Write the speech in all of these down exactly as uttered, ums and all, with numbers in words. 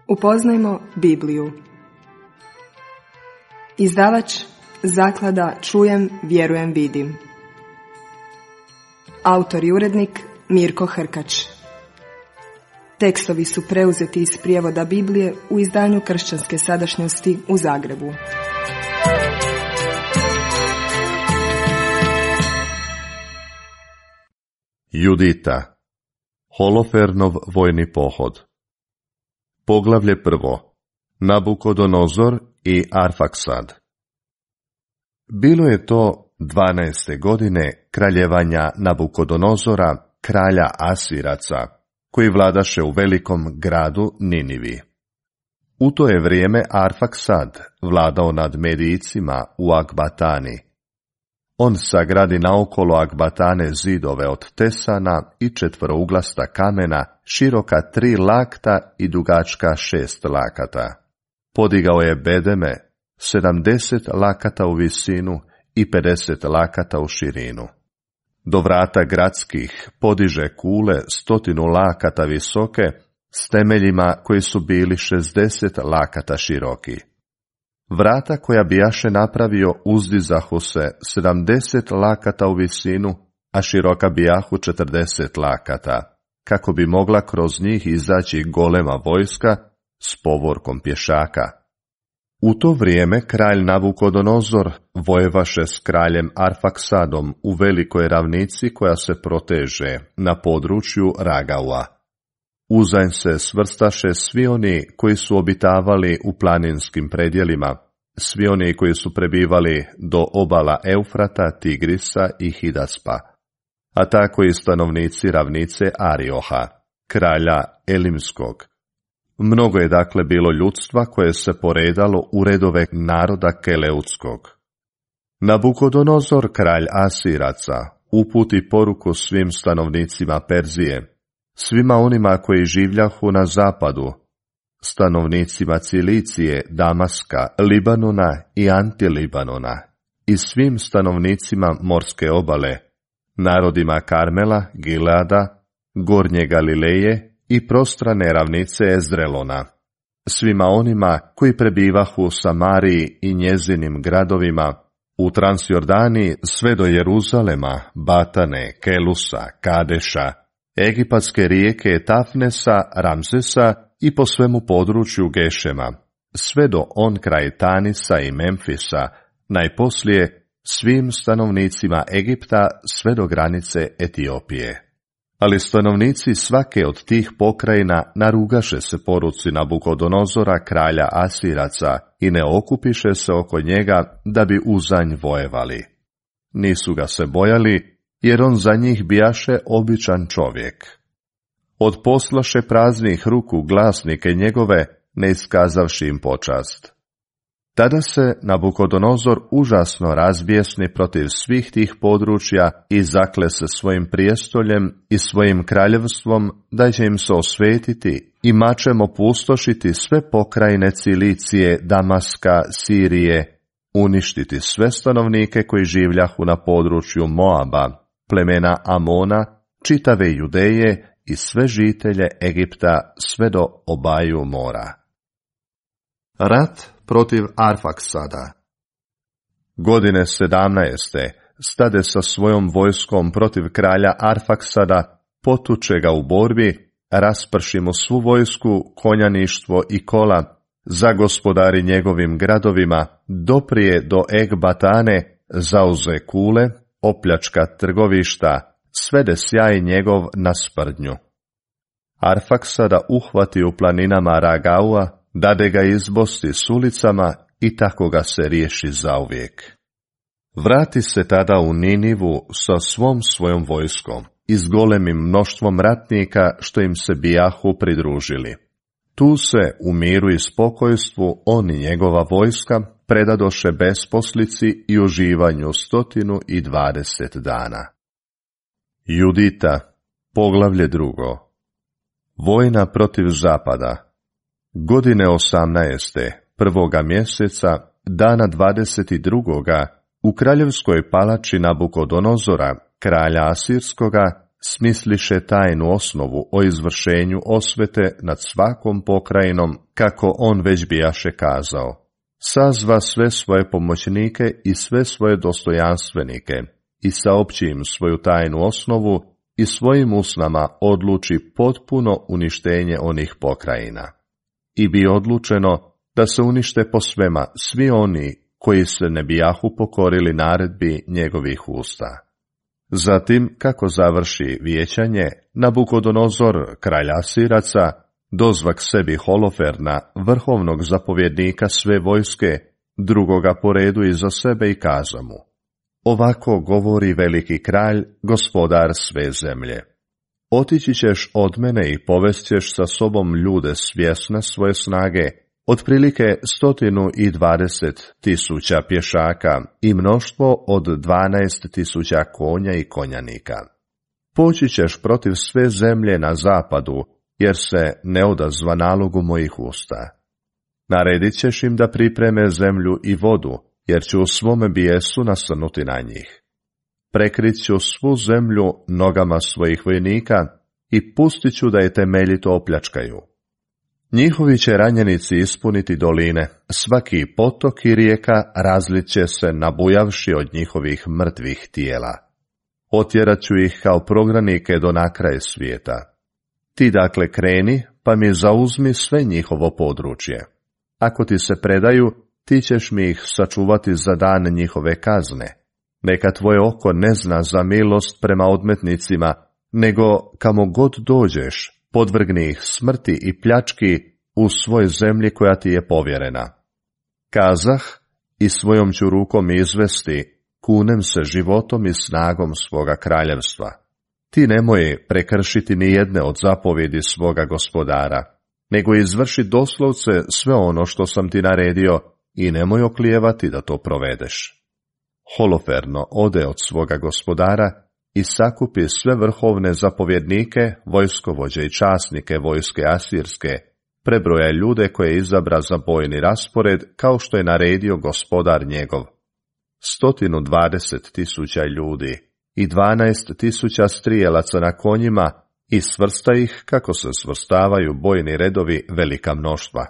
Upoznajmo Bibliju. Izdavač Zaklada Čujem, vjerujem, vidim. Autor i urednik Mirko Hrkač. Tekstovi su preuzeti iz prijevoda Biblije u izdanju Kršćanske sadašnjosti u Zagrebu. Judita. Holofernov vojni pohod. Poglavlje prvo. Nabukodonozor i Arfaksad. Bilo je to dvanaeste godine kraljevanja Nabukodonozora, kralja Asiraca, koji vladaše u velikom gradu Ninivi. U to je vrijeme Arfaksad vladao nad Medijcima u Akbatani. On sagradi naokolo Akbatane zidove od tesana i četverouglasta kamena, široka tri lakta i dugačka šest lakata. Podigao je bedeme, sedamdeset lakata u visinu i pedeset lakata u širinu. Do vrata gradskih podiže kule stotinu lakata visoke, s temeljima koji su bili šezdeset lakata široki. Vrata koja bijaše napravio uzdizahu se sedamdeset lakata u visinu, a široka bijahu četrdeset lakata, kako bi mogla kroz njih izaći golema vojska s povorkom pješaka. U to vrijeme kralj Nabukodonozor vojevaše s kraljem Arfaksadom u velikoj ravnici koja se proteže na području Ragaua. Uzanj se svrstaše svi oni koji su obitavali u planinskim predjelima, svi oni koji su prebivali do obala Eufrata, Tigrisa i Hidaspa, a tako i stanovnici ravnice Arioha, kralja Elimskog. Mnogo je dakle bilo ljudstva koje se poredalo u redove naroda Keleutskog. Nabukodonozor, kralj Asiraca, uputi poruku svim stanovnicima Perzije, svima onima koji življahu na zapadu, stanovnicima Cilicije, Damaska, Libanona i Antilibanona, i svim stanovnicima morske obale, narodima Karmela, Gileada, Gornje Galileje i prostrane ravnice Ezrelona, svima onima koji prebivahu u Samariji i njezinim gradovima, u Transjordani sve do Jeruzalema, Batane, Kelusa, Kadeša, egipatske rijeke Tafnesa, Ramsesa i po svemu području Gešema, sve do on kraj Tanisa i Memfisa, najposlije svim stanovnicima Egipta sve do granice Etiopije. Ali stanovnici svake od tih pokrajina narugaše se poruci Nabukodonozora, kralja Asiraca, i ne okupiše se oko njega da bi uzanj vojevali. Nisu ga se bojali, jer on za njih bijaše običan čovjek. Odposlaše praznih ruku glasnike njegove, ne iskazavši im počast. Tada se Nabukodonozor užasno razbjesni protiv svih tih područja i zakle se svojim prijestoljem i svojim kraljevstvom da će im se osvetiti i mačem opustošiti sve pokrajine Cilicije, Damaska, Sirije, uništiti sve stanovnike koji življahu na području Moaba, plemena Amona, čitave Judeje i sve žitelje Egipta sve do obaju mora. Rat protiv Arfaksada. Godine sedamnaeste stade sa svojom vojskom protiv kralja Arfaksada, potuče ga u borbi, rasprši mu svu vojsku, konjaništvo i kola, zagospodari njegovim gradovima, doprije do Ekbatane, zauze kule, opljačka trgovišta, svede sjaj njegov na sprdnju. Arfaksada uhvati u planinama Ragaua, dade ga izbosti s ulicama i tako ga se riješi zauvijek. Vrati se tada u Ninivu sa svom svojom vojskom i s golemim mnoštvom ratnika što im se bijahu pridružili. Tu se u miru i spokojstvu on i njegova vojska predadoše besposlici i uživanju stotinu i dvadeset dana. Judita, poglavlje drugo. Vojna protiv zapada. Godine osamnaeste, prvoga mjeseca, dana dvadeset drugoga, u kraljevskoj palači Nabukodonozora, kralja Asirskoga, smisliše tajnu osnovu o izvršenju osvete nad svakom pokrajinom, kako on već bijaše kazao. Sazva sve svoje pomoćnike i sve svoje dostojanstvenike i saopći im svoju tajnu osnovu i svojim usnama odluči potpuno uništenje onih pokrajina. I bi odlučeno da se unište po svema svi oni koji se ne bijahu pokorili naredbi njegovih usta. Zatim, kako završi vijećanje, Nabukodonozor, kralj Asiraca, dozvak sebi Holoferna, vrhovnog zapovjednika sve vojske, drugoga po redu iza sebe i kaza mu: ovako govori veliki kralj, gospodar sve zemlje. Otići ćeš od mene i povest ćeš sa sobom ljude svjesne svoje snage, otprilike stotinu i dvadeset tisuća pješaka i mnoštvo od dvanaest tisuća konja i konjanika. Poći ćeš protiv sve zemlje na zapadu, jer se ne odazva nalogu mojih usta. Naredit ćeš im da pripreme zemlju i vodu, jer ću u svome bijesu nasrnuti na njih. Prekrit ću svu zemlju nogama svojih vojnika i pustit ću da je temeljito opljačkaju. Njihovi će ranjenici ispuniti doline, svaki potok i rijeka razlit će se nabujavši od njihovih mrtvih tijela. Otjerat ću ih kao progranike do nakraja svijeta. Ti dakle kreni, pa mi zauzmi sve njihovo područje. Ako ti se predaju, ti ćeš mi ih sačuvati za dan njihove kazne. Neka tvoje oko ne zna za milost prema odmetnicima, nego kamo god dođeš, podvrgni ih smrti i pljački u svoj zemlji koja ti je povjerena. Kazah i svojom ću rukom izvesti, kunem se životom i snagom svoga kraljevstva. Ti nemoj prekršiti ni jedne od zapovjedi svoga gospodara, nego izvrši doslovce sve ono što sam ti naredio i nemoj oklijevati da to provedeš. Holoferno ode od svoga gospodara i sakupi sve vrhovne zapovjednike, vojskovođe i časnike vojske asirske, prebroja ljude koje izabra za bojni raspored kao što je naredio gospodar njegov. Stotinu dvadeset tisuća ljudi i dvanaest tisuća strijelaca na konjima i svrsta ih kako se svrstavaju bojni redovi velika mnoštva.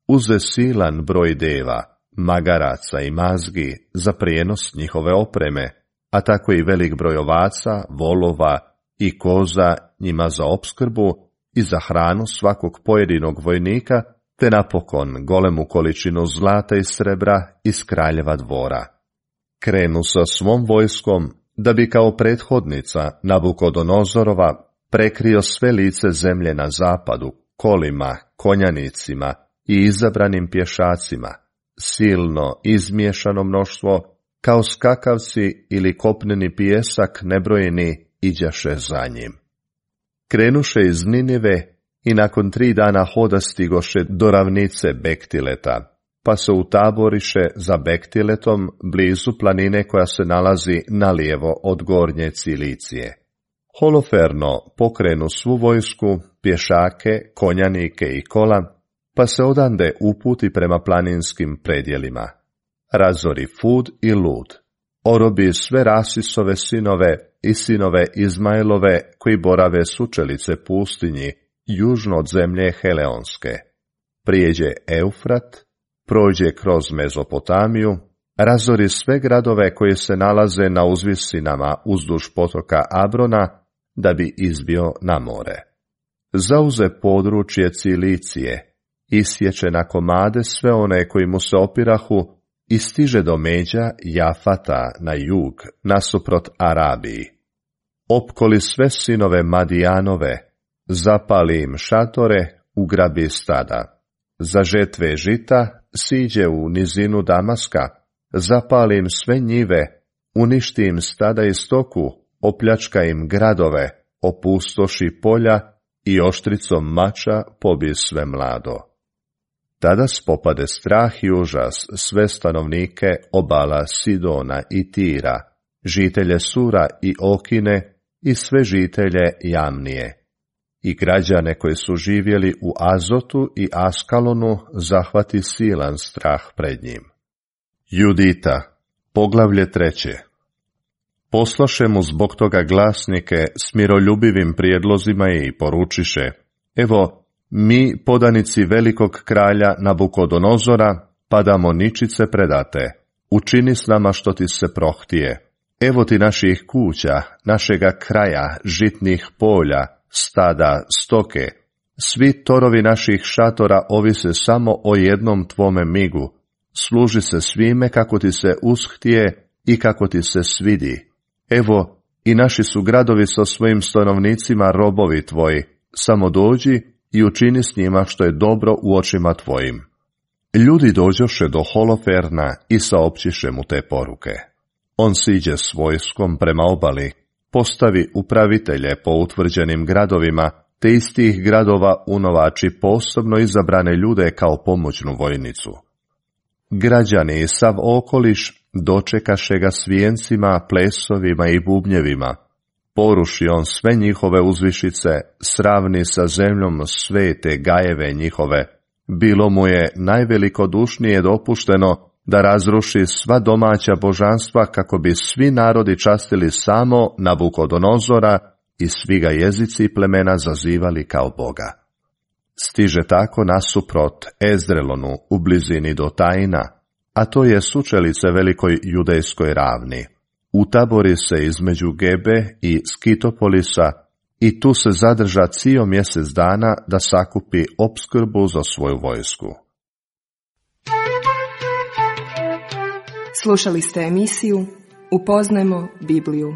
Uze silan broj deva, magaraca i mazgi za prijenos njihove opreme, a tako i velik broj ovaca, volova i koza njima za opskrbu i za hranu svakog pojedinog vojnika, te napokon golemu količinu zlata i srebra iz kraljeva dvora. Krenu sa svom vojskom, da bi kao prethodnica Nabukodonozorova prekrio sve lice zemlje na zapadu, kolima, konjanicima i izabranim pješacima, silno izmiješano mnoštvo, kao skakavci ili kopneni pijesak nebrojeni iđaše za njim. Krenuše iz Ninive i nakon tri dana hoda stigoše do ravnice Bektileta, pa se utaboriše za Bektiletom blizu planine koja se nalazi nalijevo od gornje Cilicije. Holoferno pokrenu svu vojsku, pješake, konjanike i kola, pa se odande uputi prema planinskim predjelima. Razori Fud i Lud, orobi sve Rasisove sinove i sinove Izmailove koji borave sučelice pustinji, južno od zemlje Heleonske. Prijeđe Eufrat, prođe kroz Mezopotamiju, razori sve gradove koji se nalaze na uzvisinama uzduž potoka Abrona, da bi izbio na more. Zauze područje Cilicije, isječe na komade sve one koji mu se opirahu i stiže do međa Jafata na jug, nasuprot Arabiji. Opkoli sve sinove Madijanove, zapali im šatore, ugrabi stada. Za žetve žita siđe u nizinu Damaska, zapali im sve njive, uništi im stada i stoku, opljačka im gradove, opustoši polja i oštricom mača pobi sve mlado. Tada spopade strah i užas sve stanovnike obala Sidona i Tira, žitelje Sura i Okine i sve žitelje Jamnije. I građane koji su živjeli u Azotu i Askalonu zahvati silan strah pred njim. Judita, poglavlje treće. Poslaše mu zbog toga glasnike s miroljubivim prijedlozima i poručiše: Evo, mi, podanici velikog kralja Nabukodonozora, padamo ničice predate. Učini s nama što ti se prohtije. Evo ti naših kuća, našega kraja, žitnih polja, stada, stoke. Svi torovi naših šatora ovise samo o jednom tvome migu. Služi se svime kako ti se ushtije i kako ti se svidi. Evo, i naši su gradovi sa svojim stanovnicima robovi tvoji. Samo dođi i učini s njima što je dobro u očima tvojim. Ljudi dođoše do Holoferna i saopćiše mu te poruke. On siđe s vojskom prema obali, postavi upravitelje po utvrđenim gradovima, te iz tih gradova unovači posebno izabrane ljude kao pomoćnu vojnicu. Građani i sav okoliš dočekaše ga s vijencima, plesovima i bubnjevima. Poruši on sve njihove uzvišice, sravni sa zemljom sve te gajeve njihove. Bilo mu je najvelikodušnije dopušteno da razruši sva domaća božanstva kako bi svi narodi častili samo Nabukodonozora i svi ga jezici i plemena zazivali kao Boga. Stiže tako nasuprot Ezrelonu u blizini Dotaina, a to je sučelice velikoj judejskoj ravni. Utabori se između Gebe i Skitopolisa i tu se zadrža cijel mjesec dana da sakupi opskrbu za svoju vojsku. Slušali ste emisiju Upoznajmo Bibliju.